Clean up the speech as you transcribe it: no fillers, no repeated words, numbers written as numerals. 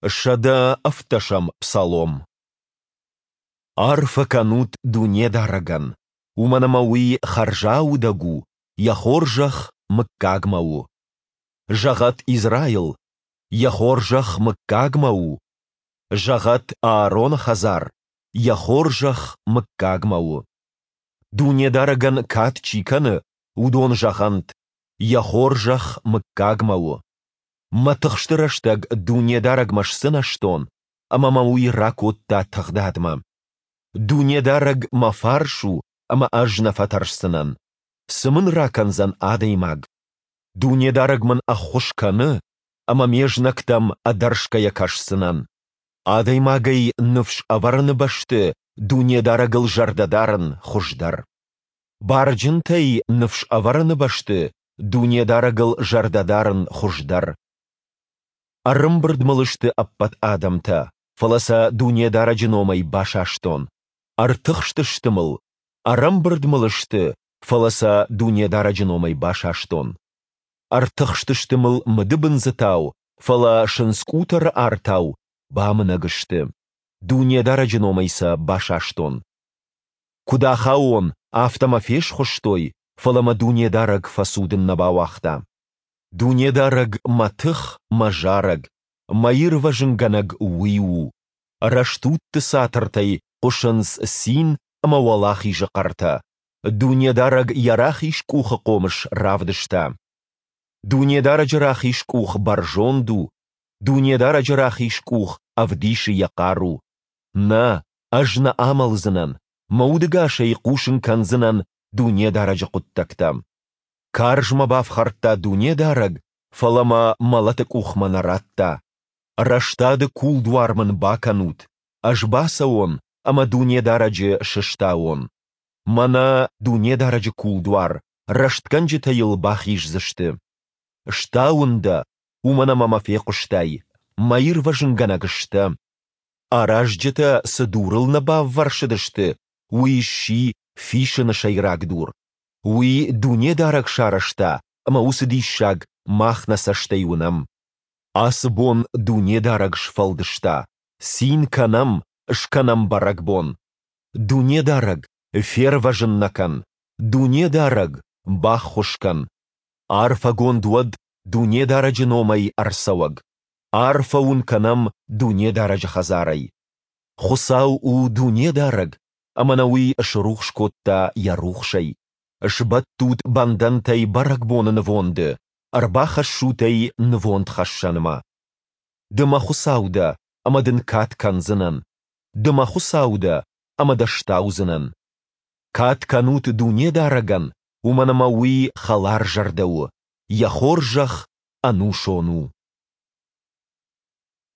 117-ӕм Псалом. Арфӕ кӕнут Дунедарӕгӕн, уымӕн ӕмӕ Уый хӕрзаудӕг у, Йӕ хорзӕх мыггагмӕ у. Зӕгъӕд Израил: Йӕ хорзӕх мыггагмӕ у. Зӕгъӕд Аароны хӕдзар: Йӕ хорзӕх мыггагмӕ у. Дунедарӕгӕн кад чи кӕны, уыдон зӕгъӕнт: Йӕ хорзӕх мыггагмӕ у. Мӕ тыхсты рӕстӕг Дунедарӕгмӕ сдзынӕзтон, ӕмӕ мӕ Уый ракодта тыгъдадмӕ. Дунедарӕг мӕ фарс у, ӕмӕ ӕз нӕ фӕтӕрсдзынӕн. Цы мын ракӕндзӕн адӕймаг? Дунедарӕг мын ӕххуыс кӕны, ӕмӕ ме знӕгтӕм ӕдӕрсгӕйӕ кӕсдзынӕн. Адӕймагӕй ныфс ӕвӕрыны бӕсты Дунедарӕгыл зӕрдӕ дарын хуыздӕр. Барджынтӕй ныфс ӕвӕрыны бӕсты Дунедарӕгыл зӕрдӕ дарын хуыздӕр. Ӕрӕмбырд мыл сты ӕппӕт адӕмтӕ, фӕлӕ сӕ Дунедарӕджы номӕй басастон. Ӕртыхстысты мыл, ӕрӕмбырд мыл сты, фӕлӕ сӕ Дунедарӕджы номӕй басастон. Ӕртыхстысты мыл мыдыбындзытау, фӕлӕ сындзкъутӕры артау бамынӕг сты. Дунедарӕджы номӕй сӕ басастон. Куыд ахауон, афтӕ мӕ фесхуыстой, фӕлӕ мӕ Дунедарӕг фӕцудын нӕ бауагъта. Дунедарӕг мӕ тых, мӕ зарӕг, мӕ ирвӕзынгӕнӕг Уый у. Рӕстудты цатыртӕй хъуысынц цин ӕмӕ уӕлахизы хъӕртӕ. Дунедарӕг йӕ рахиз къухы хъомыс равдыста. Дунедарӕджы рахиз къух бӕрзонд у, Дунедарӕджы рахиз къух ӕвдисы йӕ хъару. Нӕ, ӕз нӕ амӕлдзынӕн, мӕ удыгасӕй хъусын кӕндзынӕн Дунедарӕджы хъуыддӕгтӕ. Карз мӕ бафхӕрдта Дунедарӕг, фӕлӕ мӕ мӕлӕты къухмӕ нӕ радта. Рӕстады кулдуар мын бакӕнут, ӕз бацӕуон ӕмӕ Дунедарӕджы сыстауон. Мӕнӕ Дунедарӕджы кулдуар, рӕстгӕнджытӕ йыл бахиздзысты. Стауын дӕ, уымӕн ӕмӕ мӕ фехъуыстай, мӕ ирвӕзынгӕнӕг сдӕ. Аразджытӕ цы дурыл нӕ баввӕрсыдысты, уый сси фисыны сӕйраг дур. Уый Дунедарӕг сарӕзта, ӕмӕ уыцы диссаг мах нӕ цӕстӕй уынӕм. Ацы бон Дунедарӕг сфӕлдыста, цин кӕнӕм, скӕнӕм бӕрӕгбон. Дунедарӕг, фервӕзын нӕ кӕн! Дунедарӕг, баххуыс кӕн! Арфӕгонд уӕд Дунедарӕджы номӕй ӕрцӕуӕг! Арфӕ уын кӕнӕм Дунедарӕджы хӕдзарӕй! Хуыцау у Дунедарӕг, ӕмӕ нӕ Уый срухс кодта Йӕ рухсӕй. Сбӕттут бӕндӕнтӕй бӕрӕгбоны нывонды, ӕрбахӕссут ӕй нывондхӕссӕнмӕ. Ды мӕ Хуыцау дӕ, ӕмӕ дын кад кӕндзынӕн. Ды мӕ Хуыцау дӕ, ӕмӕ дӕ стаудзынӕн. Кад кӕнут Дунедарӕгӕн, уымӕн ӕмӕ Уый хӕларзӕрдӕ у, Йӕ хорзӕх ӕнусон у.